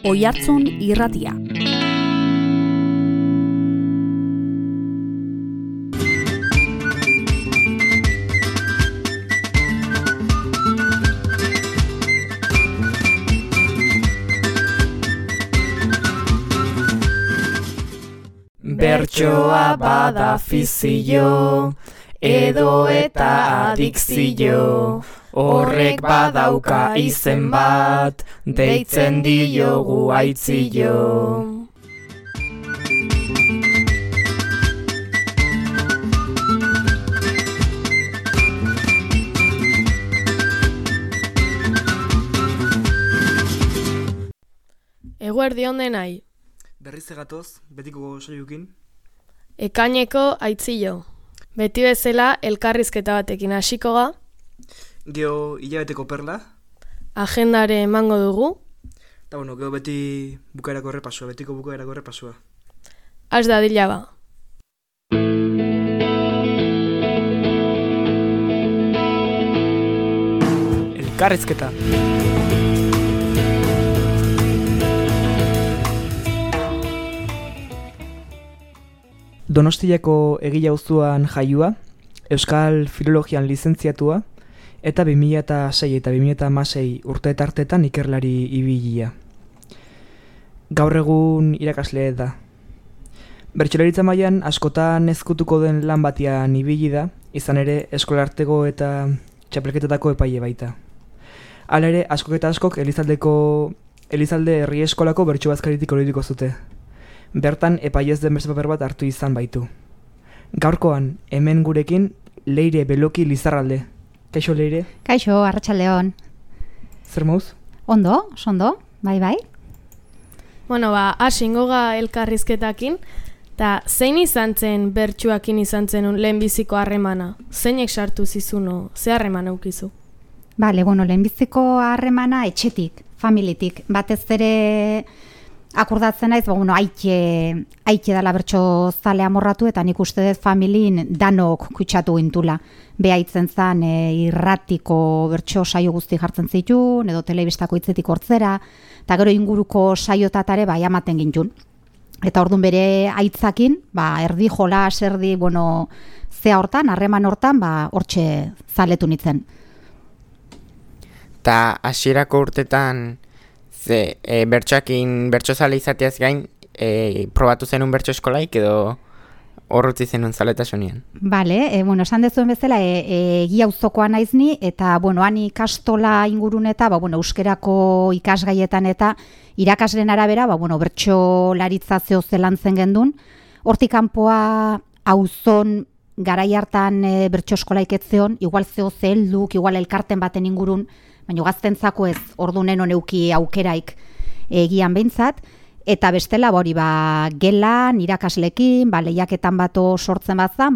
Oihartzun Irratia. Bertsoa bada fizio, edo eta adikzio, horrek badauka izen bat, deitzen diogu aitzio. Eguerdi on denai. Berriz egatoz, betiko saioekin. Ekaineko aitzio. Beti bezala elkarrizketa batekin hasiko ga. Geo hilabeteko perla. Agendare emango dugu. Eta gero beti bukaerako errepasua, betiko bukaerako errepasua. Has dadila ba. Elkarrizketa. Donostiako egile auzoan jaioa, Euskal Filologian lizentziatua, eta 2006 eta 2016 urteetartetan ikerlari ibilia. Gaur egun irakasle da. Bertsolaritza mailan askotan ezkutuko den lan batian ibili da, izan ere eskolarteko eta txapelketetako epaile baita. Hala ere, askok eta askok Elizalde herri eskolako bertso bazkaritik oroituko zute. Bertan epailez den beste paper bat hartu izan baitu. Gaurkoan, hemen gurekin, Leire Beloki Lizarralde. Kaixo, Leire? Kaixo, arratsaldeon. Zer mauz? Ondo, bai. Bueno, hasingo ga elkarrizketakin, eta zein izan zen bertsuakin izan zen lehenbiziko harremana? Zeinek sartu zizuno, ze harremana ukizu? Bale, lehenbiziko harremana etxetik, familitik. Batez ere akordatzen naiz, aitke dala bertso zale amorratu, eta nik uste dut familin danok kutsatu gintula. Behaitzen zen irratiko bertso saio guzti jartzen zitun, edo telebistako hitzetik hortzera, eta gero inguruko saiotatare amaten gintun. Eta orduan bere aitzakin, erdi jolas, erdi, zea hortan, harreman hortan, hortxe zaletu nitzen. Ta hasierako urtetan, bertso zale izateaz gain, probatu zenun bertso eskolaik edo horrutzi zenun zaletasunean? Bale, esan dezuen bezala, egia auzokoa naiz ni, eta, han ikastola ingurun eta, euskerako ikasgaietan eta irakasleen arabera, bertso laritza zelan zen gendun. Hortik kanpoa auzon garai hartan bertso eskolaik etzeon, igual zehelduk, igual elkarten baten ingurun, baina gaztentzako ez ordunen honeuki aukeraik egian behintzat, eta bestela gelan, irakaslekin, lehiaketan bato sortzen bat zan,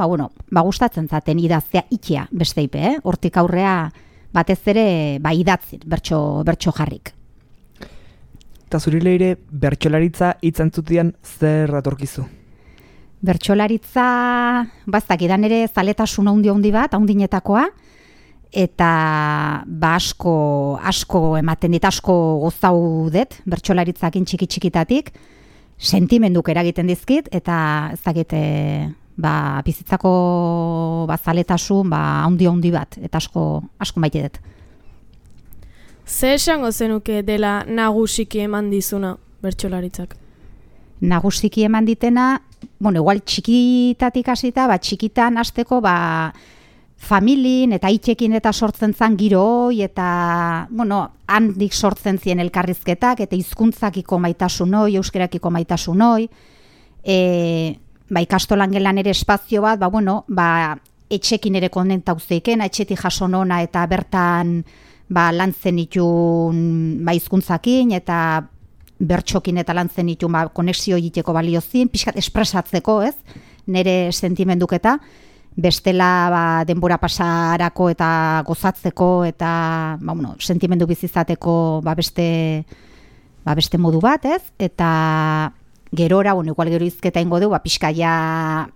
gustatzen zaten idaztea ikia besteipe, hortik aurrea batez ere idatzin, bertso jarrik. Eta zuri Leire, bertsolaritza hitzantzutian zer datorkizu? Bertsolaritza, idan ere zaletasun handi bat, handinetakoa, eta asko ematen dit, asko gozau dut, bertsolaritzakin txiki-txikitatik, sentimenduk eragiten dizkit, eta bizitzako zaletasun handi bat, eta asko maite dut. Ze esango zenuke dela nagusiki eman dizuna bertsolaritzak? Nagusiki eman ditena, igual txikitatik hasita, txikitan hasteko, familin eta itxekin eta sortzen zan giroi eta, handik sortzen zien elkarrizketak eta hizkuntzakiko maitasunoi, euskerakiko maitasunoi. Ikastolan gelan ere espazio bat, etxekin ere konentauzeiken, etxetik jasonona eta bertan lantzen itun hizkuntzakin eta bertxokin eta lantzen itun konexio egiteko baliozin, pixkat espresatzeko, ez? Nere sentimenduketa. Bestela denbora pasarako eta gozatzeko eta sentimendu bizizateko beste modu bat, ez? Eta gerora, igual gero izketa ingo du, pixkaia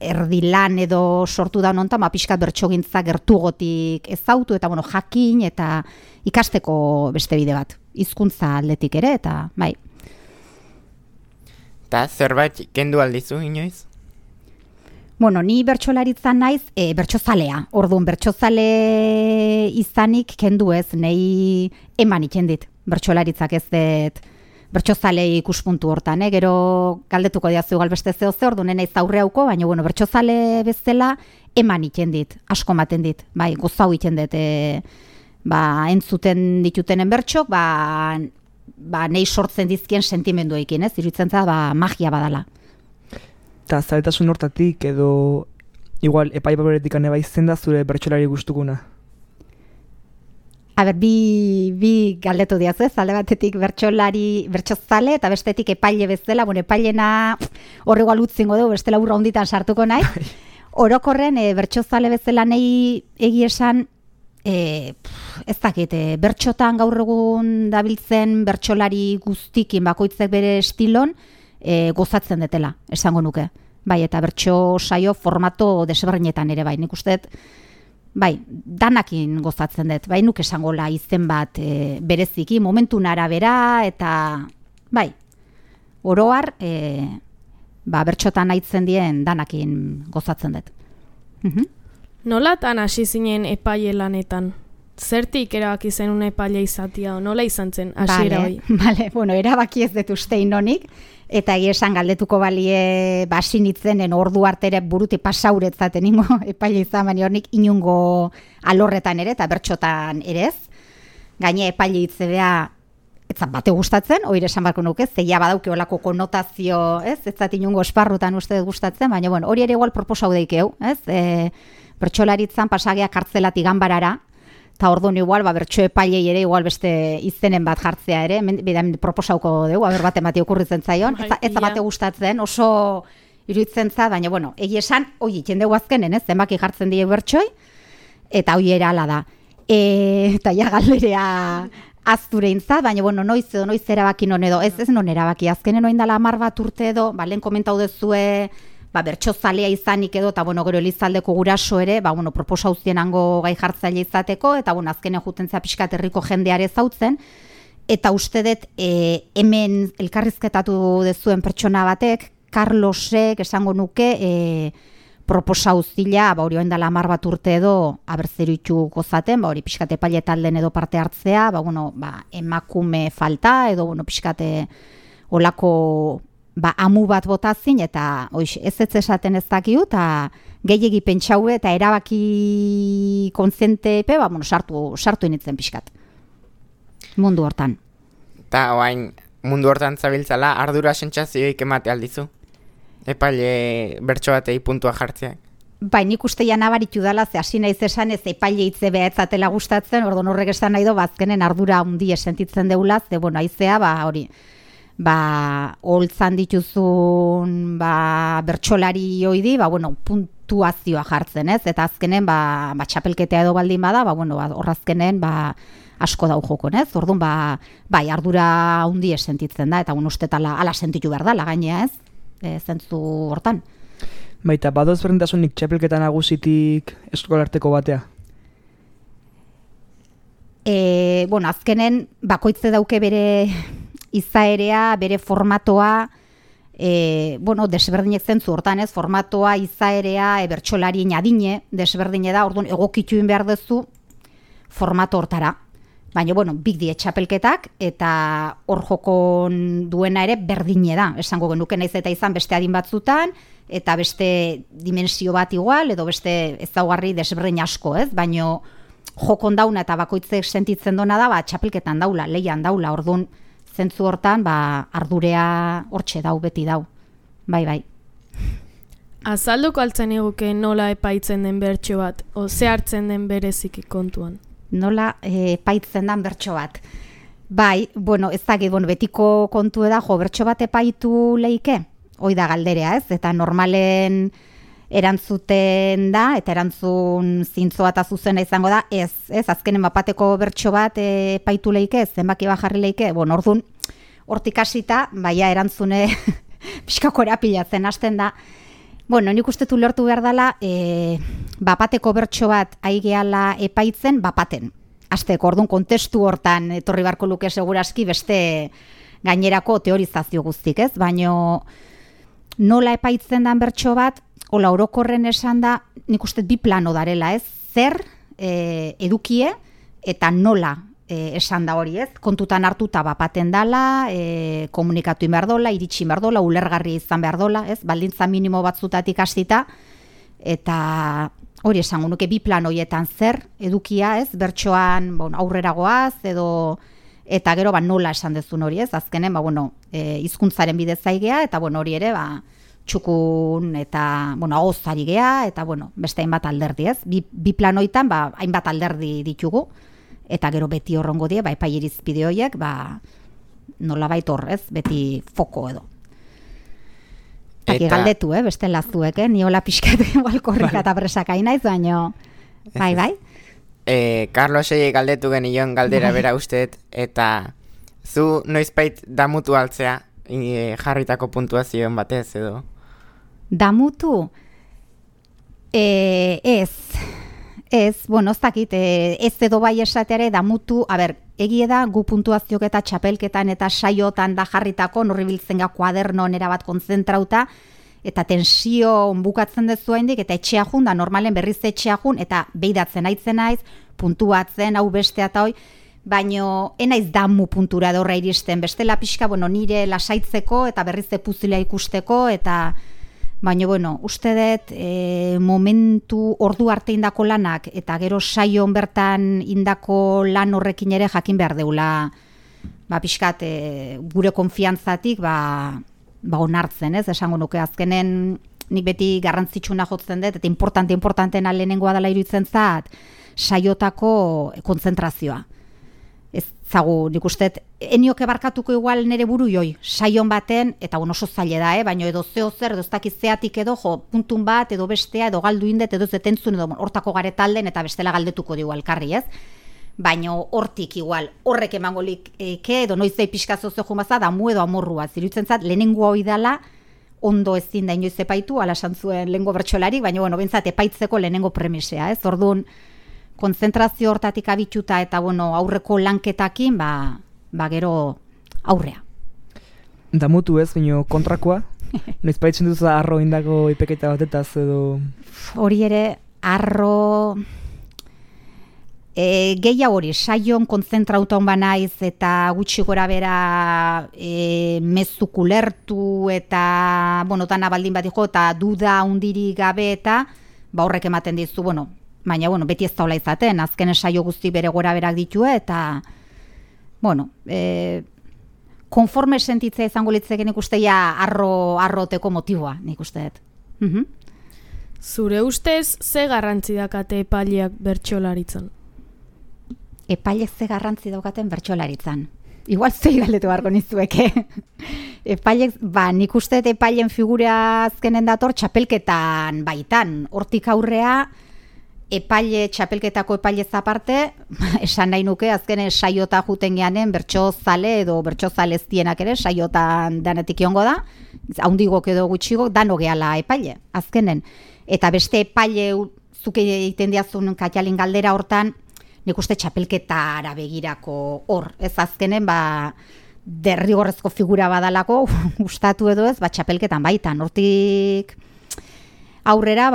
erdilan edo sortu da honontan, pixkat bertsogintza gertugotik ezautu, eta jakin, eta ikasteko beste bide bat. Hizkuntza aldetik ere, eta bai. Eta zerbait kendu aldizu, inoiz? Ni bertsolaritzan naiz, bertsozalea. Orduan, bertsozale izanik kendu ez, nei eman ikendit. Bertsolaritzak ez dut bertsozale ikuspuntu hortan, gero galdetuko diazu gal beste zeo ze, orduan naiz aurre hauko, baina bertsozale bezala eman ikendit, asko maten dit, bai, gozau ikendit, entzuten ditutenen bertsok, nei sortzen dizkien sentimenduekin, iruditzen za, magia badala. Eta zaletasun hortatik edo igual epai baberetik aneba izen da zure bertsolari gustukuna? Bi galdetu diaz ez, alde batetik bertsozale eta bestetik epaile bezala, epailena horre igual utzingo dugu, bestela urra honditan sartuko nahi. Orokorren bertsozale bezala nahi esan, ez dakit, bertxotan gaur egun dabiltzen bertsolari guztikin bakoitzek bere estilon, gozatzen detela, esango nuke. Bai, eta bertso saio formato desberdinetan ere bai. Nik uste, bai, danakin gozatzen dut. Bai, nuk esangola izen bat bereziki, momentun arabera, eta bai, oroar, bertxotan aitzen dien danakin gozatzen dut. Nolatan hasi zinen epaile lanetan? Zertik erabaki zen una epaile izatea, nola izan zen hasiera hori? Bale, erabaki ez dut uste inonik, eta esan galdetuko balie basinitzenen ordu artere buruti pasauretzaten ingo epaile izan, baina hornik inungo alorretan ere, eta bertxotan ere ez. Gaine epaile itzebea etzat bate gustatzen, hori esan barko nuke, zeia badauke olako konotazio, ez zat inungo esparrutan uste gustatzen, baina hori ere igual proposau deikeu, ez? Bertsolaritzan pasageak kartzelatik ganbarara, eta orduan igual, bertso epailei ere igual beste izenen bat jartzea ere, proposauko dugu, bate mati okurritzen zaion, ez bate gustatzen, oso iruditzen za, baina egi esan, hoi iten dugu azkenen, zenbaki jartzen die bertsoi, eta hoi erala da. Eta ja galderea azture intzat, baina noiz erabaki non edo, ez non erabaki, azkenen oindala 10 bat urte edo, lehen komentau dezue, bertsozalea izanik edo, eta gero Elizaldeko guraso ere, proposauzien hango gai jartzaile izateko, eta azkenen jutentzea pixkat herriko jendeare zautzen, eta uste dut hemen elkarrizketatu dezuen pertsona batek, Carlosek esango nuke, proposauzila, hori oindala 10 bat urte edo, abertzeru gozaten, hori pixkat epaile talden edo parte hartzea, emakume falta, edo pixkat olako amu bat botazin, eta ez esaten ez dakiu, eta gehiegi pentsaue, eta erabaki kontzentepe, sartu initzen pixkat. Mundu hortan. Eta oain, mundu hortan zabiltzala, ardura sentsazioik emate aldizu? Epaile bertso batei puntua jartzeak? Bai, nik uste nabaritu dela, ze hasi naiz esan ez epaile hitze behatzatela gustatzen, orduan horrek esan nahi do, azkenen ardura hundi sentitzen deula, ze aizea, hori, holtzan dituzun bertsolari oidi, puntuazioa jartzen, ez? Eta azkenen, txapelketea edo baldin bada, horrazkenen, asko dau jokon, ez? Orduan, ardura hundi sentitzen da, eta uste ala sentitu behar da, gainea, ez? Zentzu hortan. Baita, badoz berdintasunik txapelketa nagusitik eskolarteko batea? Azkenen, bakoitze dauke bere izaerea, bere formatoa, desberdinek zentzu hortan ez, formatoa, izaerea, bertsolarien adine, desberdine da, orduan egokituin behar duzu formato hortara. Baina, big die txapelketak, eta hor jokon duena ere berdine da. Esango genuke naiz eta izan beste adin batzutan, eta beste dimensio bat igual, edo beste ezaugarri desberdin asko, ez? Baina jokon dauna eta bakoitzek sentitzen dona da, txapelketan daula, leian daula, orduan, zentzu hortan, ardurea hortxe dau, beti dau. Bai. Azalduko altzen eguke nola epaitzen den bertso bat, o ze hartzen den bereziki kontuan? Nola epaitzen den bertso bat. Bai, ez dakit, betiko kontu da, bertso bat epaitu leike, hoi da galderea, ez? Eta normalen erantzuten da, eta erantzun zintzoa eta zuzena izango da, ez, azkenen bapateko bertso bat epaitu leike, zenbaki bajarri leike, orduan, hortik hasita, erantzune pixkako erapilatzen hasten da, Bueno, nik uste ulertu behar dela, bapateko bertso bat aigeala epaitzen, bapaten. Azteko, orduan kontestu hortan etorri barko luke seguraski beste gainerako teorizazio guztik, ez? Baina nola epaitzen dan bertso bat, hola orokorren esan da, nik uste bi plano darela, ez? Zer edukie eta nola esan da hori, ez? Kontutan hartuta bapaten dala, komunikatu behar dola, iritsi behar dola, ulergarri izan behar dola, ez? Baldintza minimo batzutatik hastita, eta hori esango nuke bi plan horietan zer edukia, ez? Bertsoan aurrera goaz, eta gero nola esan dezun hori, ez? Azkenen, hizkuntzaren bidez zaigea, eta hori ere, txukun eta agozari gea, eta beste hainbat alderdi, ez? Bi plan horietan, hainbat alderdi ditugu, eta gero beti horrongo die, epai irizpide horiek, nola baitor, ez? Beti foko edo. Taki galdetu, beste lazuek, ni hola pixkat korrika eta presak naiz, baino, bai. Carlosei galdetu genion galdera bera usteet, eta zu noizbait damutu altzea jarritako puntuazioen batez edo? Damutu? Ez, ez dakit, ez edo bai esateare damutu, egie da gu puntuaziok eta txapelketan eta saiotan da jarritako, norri biltzen ga kuadernon erabat kontzentrauta, eta tensio bukatzen dezu haindik, eta etxea jun, da normalen berriz etxea jun, eta behidatzen aitzen naiz, puntuatzen, hau bestea eta hoi, baino enaiz damu puntura dorra iristen, bestela pixka, nire lasaitzeko, eta berriz puzilea ikusteko, eta baina, uste dut momentu ordu arte indako lanak eta gero saion bertan indako lan horrekin ere jakin behar deula pixkat gure konfiantzatik onartzen, ez? Esango nuke azkenen nik beti garrantzitsuna jotzen dut eta importantena lehenengoa dela iruditzen zat saiotako kontzentrazioa. Ez zagu, nik uste, enioke barkatuko igual nere buru joi, saion baten, eta oso zaila da, baina edo zeo zer, edo ez dakitzeatik edo, puntun bat, edo bestea, edo galdu indet, edo zetentzun, edo hortako garetalden, eta bestela galdetuko digu elkarri, ez? Baina hortik igual, horrek emangolik edo noizei pixkazo zehun baza, damu edo amorrua, zirutzen zat, lehenengo hoi dala, ondo ezin da inoiz epaitu, ala santzuen lehengo bertxolarik, baina, bintzat, epaitzeko lehenengo premisea, ez? Orduan, konzentrazio hortatik abituta eta aurreko lanketakin, gero aurrea. Damutu ez, baina kontrakoa? Noiz paitzen duzu arro indako ipeketa batetaz edo? Hori ere, arro... Gehiago hori, saion konzentrauta hon banaiz eta gutxi gora bera mezuk ulertu eta, tana baldin bat dijo, eta duda hundiri gabe eta, horrek ematen dizu, baina, beti ez daula izaten, azken saio guzti bere gora berak ditue, eta, konforme sentitzea izango litzeken ikusteia arroteko motiboa, nik usteet. Zure ustez, ze garrantzi dakate epaileak bertsolaritzan? Epaileak ze garrantzi daukaten bertsolaritzan. Igual zei galdetu beharko nizueke. Epaileak, nik usteet epailen figura azkenen dator txapelketan baitan. Hortik aurrea, txapelketako epailez aparte, esan nahi nuke, azkenen saiota juten geanen bertso zale edo bertso zaleztienak ere, saiotan danetik iongo da, haundigok edo gutxigok, dano gehala epaile, azkenen. Eta beste epaile zuke egiten diazun Katialin galdera hortan, nik uste txapelketara begirako hor, ez azkenen, derrigorrezko figura badalako, gustatu edo ez, txapelketan baitan, hortik... Aurrera,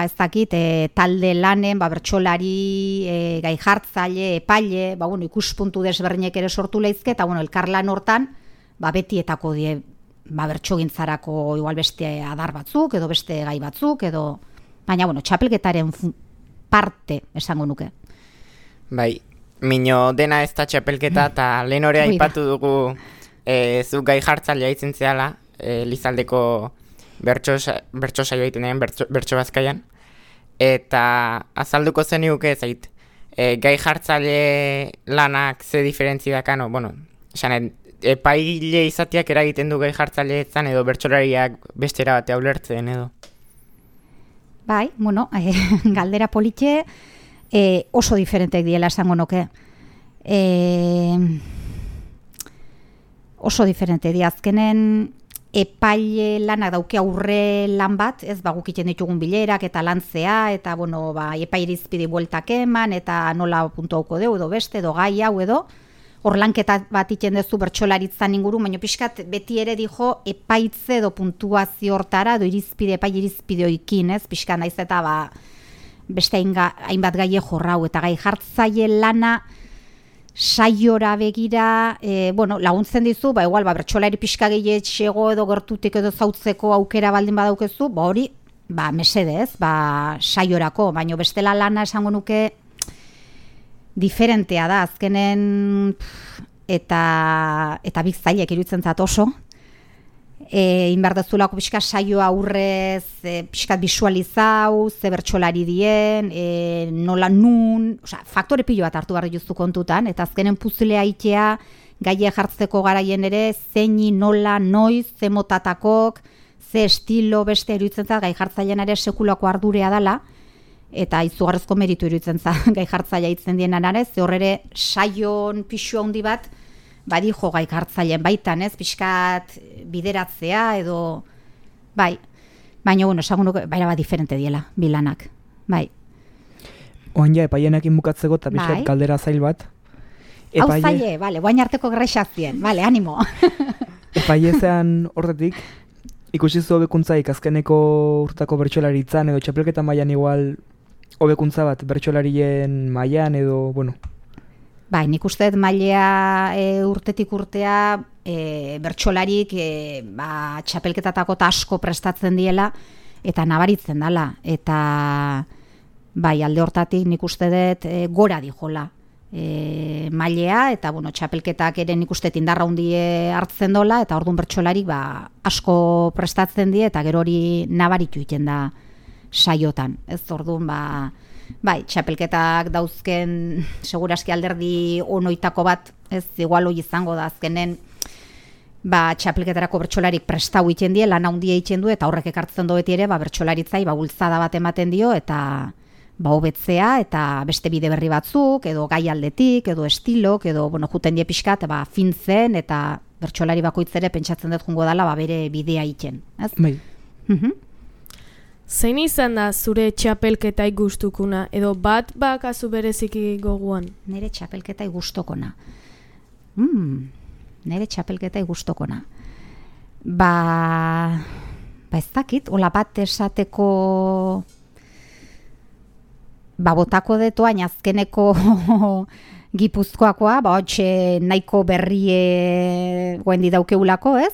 ez dakit, talde lanen, bertsolari, gai jartzaile, epaile, ikuspuntu desberdinek ere sortu lehizke, eta elkarlan hortan, betietako die, bertsogintzarako igual beste adar batzuk, edo beste gai batzuk, edo... Baina, txapelketaren parte, esango nuke. Bai, mino dena ez da txapelketa, eta lehen hori aipatu dugu zu gai jartzailea itzen zehala, Lizaldeko... bertso saio egiten den, bertso bazkaian, eta azalduko zeniuke zait, gai jartzaile lanak ze diferentzi dakano, epaile izateak eragiten du gai jartzaile etzan edo bertsolariak bestera batea ulertzen edo. Bai, galdera politxe oso diferentek diela esango nuke. Oso diferente di, azkenen epaile lanak dauke aurre lan bat, ez guk egiten ditugun bilerak eta lantzea, eta epaile irizpide bueltak eman, eta nola puntuauko deu, edo beste, edo gai hau edo, hor lanketa bat egiten duzu bertsolaritzan inguru, baina pixkat beti ere dijo epaitze edo puntuazio hortara, edo epaile irizpide oikin, ez, pixkat naiz eta beste hainbat gaie jorrau, eta gai jartzaile lana, saiora begira, laguntzen dizu, igual, bertsolari pixka gehietxego edo gertutik edo zautzeko aukera baldin badaukezu, hori, mesedez, saiorako, baina bestela lana esango nuke diferentea da, azkenen eta biztailek iruditzen zat oso, inberdezulako pixka saioa aurrez, pixkat bisualizau, ze bertsolari dien, nola nun, faktore pilo bat hartu behar dituztu kontutan, eta azkenen puzlea itea, gaie jartzeko garaien ere, zeini, nola, noiz, ze motatakok, ze estilo beste iruditzen zat, gai jartzailean ere sekulako ardurea dela, eta izugarrezko meritu iruditzen zat, gai jartzailea itzen dienan ere, ze horre saion pixu handi bat, badijo gai hartzaileen baitan, ez, pixkat bideratzea edo, baina, esango nuke, bat diferente diela, bilanak, Oain ja, epaienekin bukatzeko eta pixkat kaldera zail bat. Hau zaile, guain arteko grexazien, animo. Epaiezean horretik, ikusi zu hobekuntzaik azkeneko urtako bertsolaritzan edo txapelketa mailan igual hobekuntza bat bertsolarien mailan edo, nik uste mailea urtetik urtea bertsolarik txapelketatako asko prestatzen diela eta nabaritzen dela. Eta alde hortatik nik uste dut gora dijola mailea eta txapelketak ere nik uste indarra hundie hartzen dola eta orduan bertsolarik asko prestatzen die eta gero hori nabaritu egiten da saiotan. Ez orduan txapelketak dauzken seguraski alderdi onoitako bat, ez igual hoi izango da azkenen txapelketarako bertsolarik prestau egiten die, lan handia egiten du eta horrek ekartzen do beti ere bertsolaritzai bultzada bat ematen dio eta hobetzea eta beste bide berri batzuk edo gai aldetik edo estilok edo juten die pixkat fintzen eta bertsolari bakoitz ere pentsatzen dut jungo dela bere bidea egiten, ez? Zein izan da zure txapelketai gustukuna, edo bat bakazu bereziki goguan? Nere txapelketai gustokona. Nere txapelketai gustokona. Ez dakit, hola bat esateko botako detoain azkeneko Gipuzkoakoa, hotxe nahiko berrie guendi daukeulako, ez?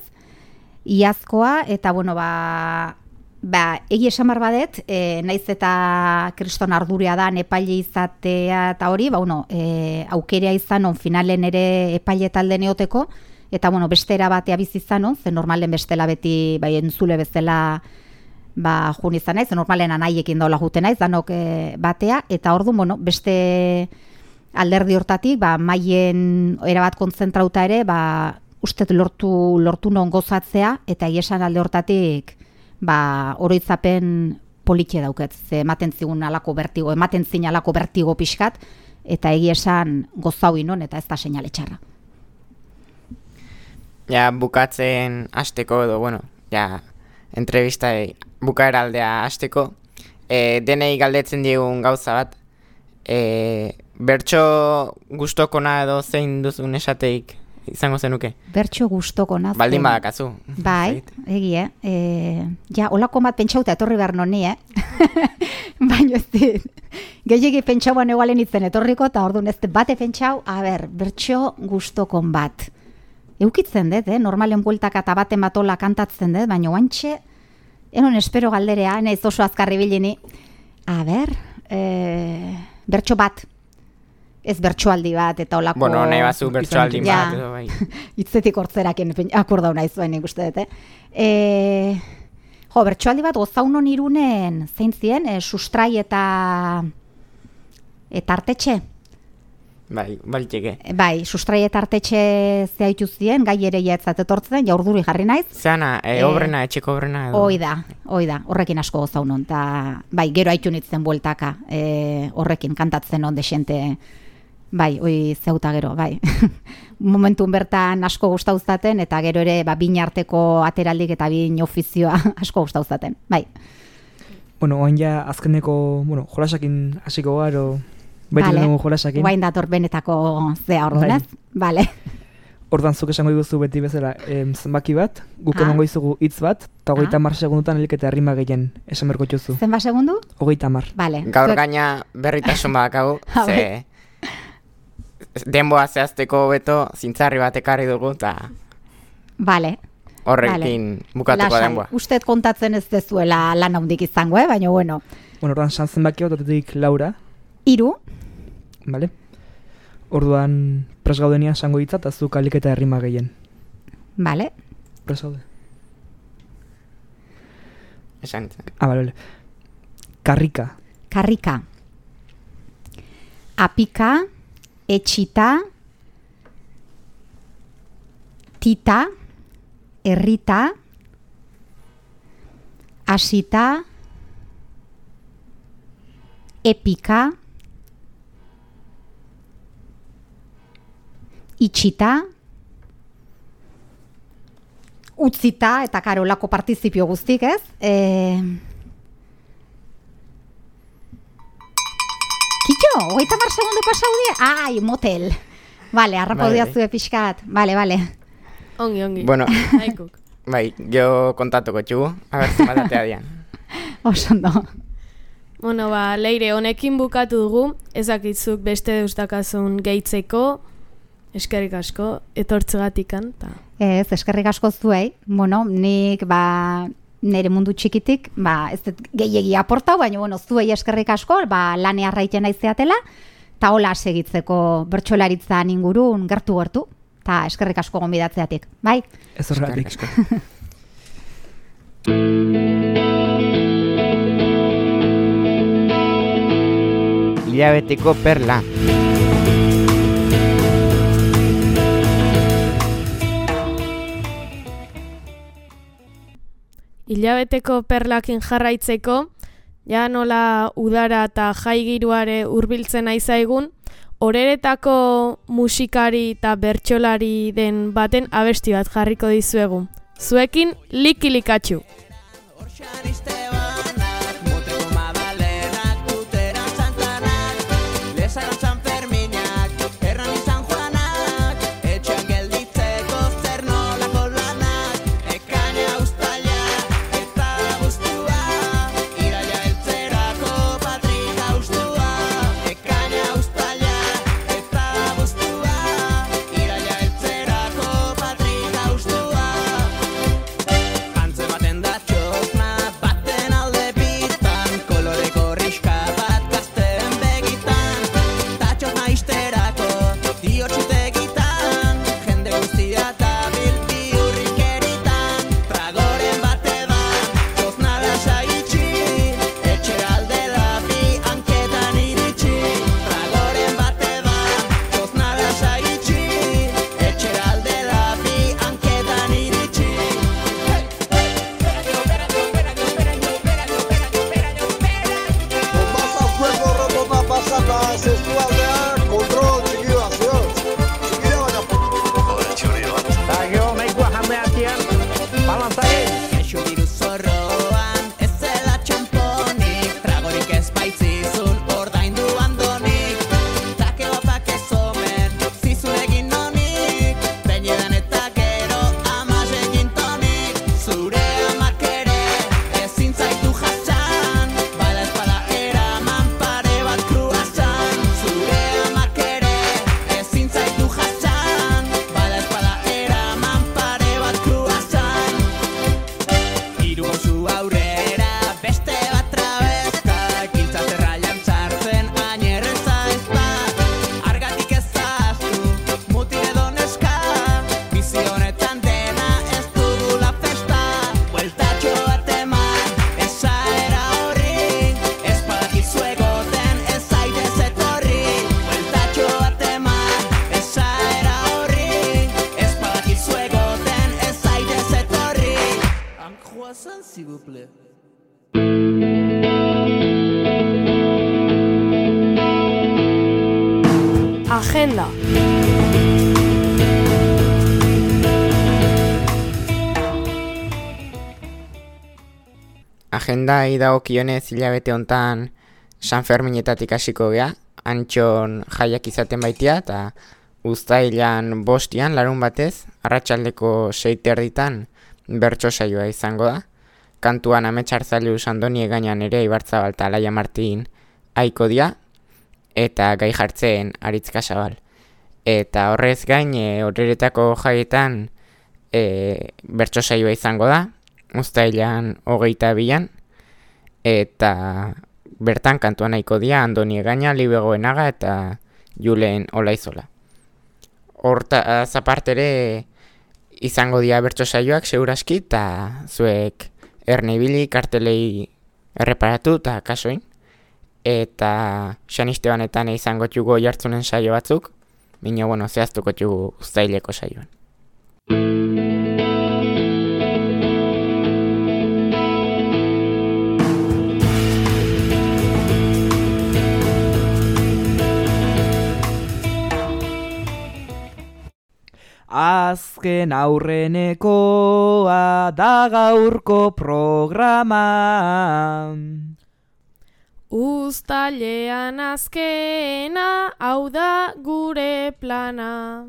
Iazkoa, eta egi esan behar badet, naiz eta kriston arduria da epaile izatea eta hori, aukerea izan finalen ere epaile talde neoteko, eta beste erabatea bizizan, ze normalen bestela beti entzule bezala jun izan naiz, normalen anaiekin daula juten naiz, danok batea, eta orduan, beste alderdi hortatik, maien erabat kontzentrauta ere, uste lortu non gozatzea, eta esan alde hortatik, oroitzapen politxe dauket, ze ematen zigun alako bertigo, ematen zin alako bertigo pixkat, eta egia esan gozau inon, eta ez da seinale txarra. Ja, bukatzen hasteko edo, entrevista bukaera aldea hasteko, denei galdetzen diegun gauza bat, bertso gustokona edo zein duzun esateik izango zenuke? Bertso gustokona. Baldin badakazu. Egie. Olako bat pentsauta etorri behar noni, baina ez dit. Gehiagi pentsauan egalen itzen etorriko, eta orduan ez bate pentsau, bertso gustokon bat. Eukitzen dut, normalen bueltaka eta baten batola kantatzen dut, baina oantxe, enon espero galderea, naiz oso azkarri bilini. Bertso bat. Ez bertsoaldi bat, eta olako... nahi bazu bertsoaldi bat, edo bai. Itzetik hortzeraken akordau nahi zuen ikuste dut, bertsoaldi bat gozaunon irunen, zein zien, sustrai eta artetxe. Baliteke. Sustrai eta artetxe zehaitu zien, gai ere jaetzat etortzen, jaurduri jarri naiz. Zeana, obrena, etxeko obrena edo? Oida, horrekin asko gozaunon, eta gero haitu nitzen bueltaka, horrekin kantatzen on desente... oi zeuta gero, momentun bertan asko gustauzaten eta gero ere bin arteko ateraldik eta bin ofizioa asko gustauzaten. Bai. Bueno, oain ja azkeneko, jolasakin hasiko garo, beti dugu jolasakin. Oain dator benetako zea orduan, ez? Bale. Ordan zuk esango diguzu beti bezala zenbaki bat, guk emango izugu hitz bat, eta 30 segundutan helik eta rima gehien esan berko txuzu. Zenba segundu? 30. Vale. Gaur gaina berritasun badakagu, ze denboa zehazteko beto zintzarri bat ekarri dugu, eta horrekin bukatuko denboa. Usted kontatzen ez dezuela lan handik izango, baina bueno. Bueno, ordan zenbaki bat, otetik Laura. 3. Vale. Orduan pres gaudenian esango hitza eta zuk alik eta errima gehien. Vale. Pres gaude. Esan hitza. Vale. Karrika. Karrika. Apika, etxita, tita, errita, asita, epika, itxita, utzita, eta karolako partizipio guztik, ez? Kitxo, 30 segundu pasaudia? Ai, motel. Vale, harrapaudia zue pixkat. Vale. Ongi. Bueno, Aikuk. bai, jo kontatuko txugu, zenbat atea dian. Osondo. Bueno, Leire, honekin bukatu dugu, ezakitzuk beste deustakazun gehitzeko, eskerrik asko, etortzegatikan. Ez, eskerrik asko zuei. Bueno, nik nire mundu txikitik, ez gehiegi aportau, baina zuei eskerrik asko, lane arraiten aizeatela, eta hola segitzeko bertsolaritzan ingurun gertu, eta eskerrik asko gonbidatzeatik, bai? Ez horregatik. Hilabeteko perla. Hilabeteko perlakin jarraitzeko, ja nola udara eta jaigiruare hurbiltzen aizaigun, horeretako musikari eta bertsolari den baten abesti bat jarriko dizuegu. Zuekin likilikatxu. Agenda. agendai dagokionez hilabete hontan San Ferminetatik hasiko gea, Antxon jaiak izaten baitia, eta uztailan 5 larun batez, arratsaldeko 6:30 bertso saioa izango da. Kantuan Ametsartzailu Andoni Egainan ere Ibarzabal eta Alaia Martin aiko dia, eta gai jartzen Aritz Kasabal. Eta horrez gain, horretako jaietan bertso saioa izango da, uztailan 22an, eta bertan kantuan nahiko dia Andoni Egaina, Libe Goenaga eta Julen Olaizola. Hortaz aparte ere izango dia bertso saioak seguraski, eta zuek erne ibili kartelei erreparatu eta kasoin. Eta Xanistebanetan izango txugo jartzunen saio batzuk, bino zehaztuko txugu uztaileko saioan. Azken aurrenekoa da gaurko programa. Uztailean azkena, hau da gure plana.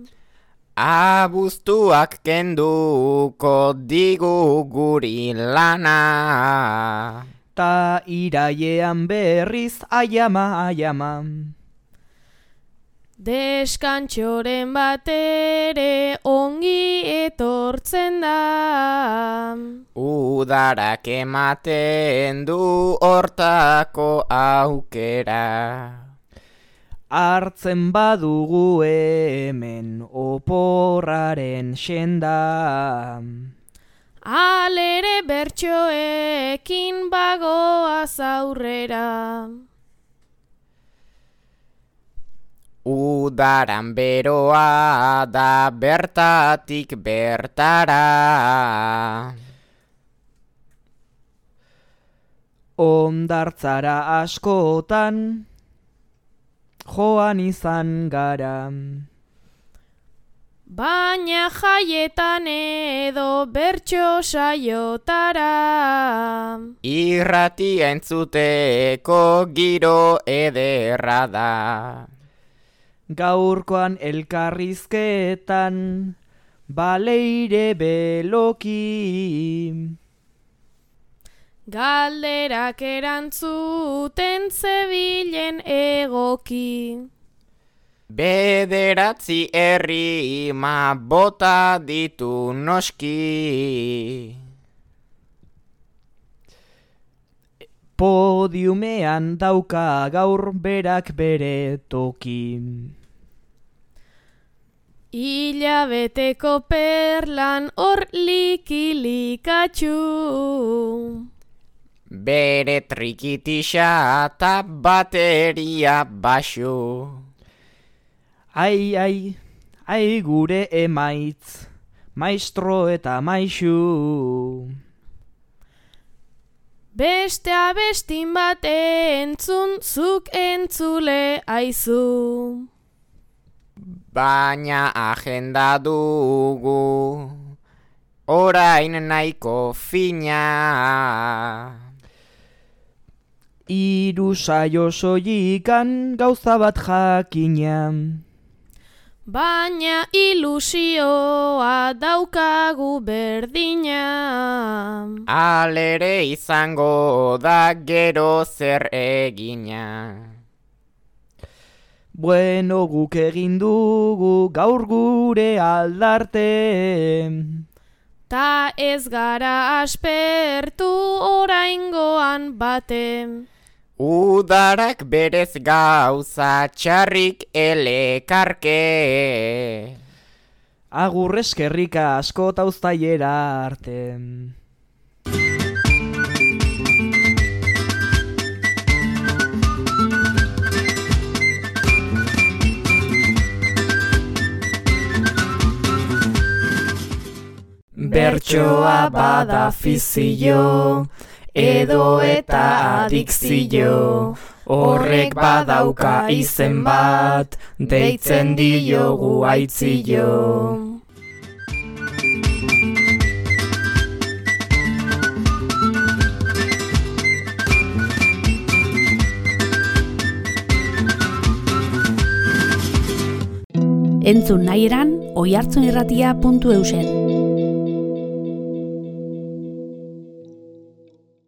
Abuztuak kenduko digu guri lana. Ta irailean berriz aiama. Deskantxoren batere ongi etortzen da. Udarak ematen du hortako aukera. Hartzen badugu hemen oporraren senda. Alere bertsoekin bagoaz aurrera. Udaran beroa da bertatik bertara. Ondartzara askotan joan izan gara. Baina jaietan edo bertso saiotara. Irratia entzuteko giro ederra da. Gaurkoan elkarrizketan baleire beloki. Galderak erantzuten zebilen egoki. 9 herrima bota ditu noski. Podiumean dauka gaur berak bere toki. Hilabeteko perlan hor likilikatxu. Bere trikitisa eta bateria baxu. Ai gure emaitz, maestro eta maixu. Beste abestin bat entzun, zuk entzule aizu. Baina agenda dugu, orain nahiko fina. 3 saio soilikan gauza bat jakina. Baina ilusioa daukagu berdina. Alere izango da gero zer egina. Bueno, guk egin dugu gaur gure aldarte. Ta ez gara aspertu oraingoan bate. Udarak berez gauza txarrik elekarke. Agur eskerrika asko ta uztailera arte. Bertsoa bada fizio, edo eta adikzio. Horrek badauka izen bat, deitzen diogu aitzio. Entzun nahi eran, oihartzunirratia.eusen.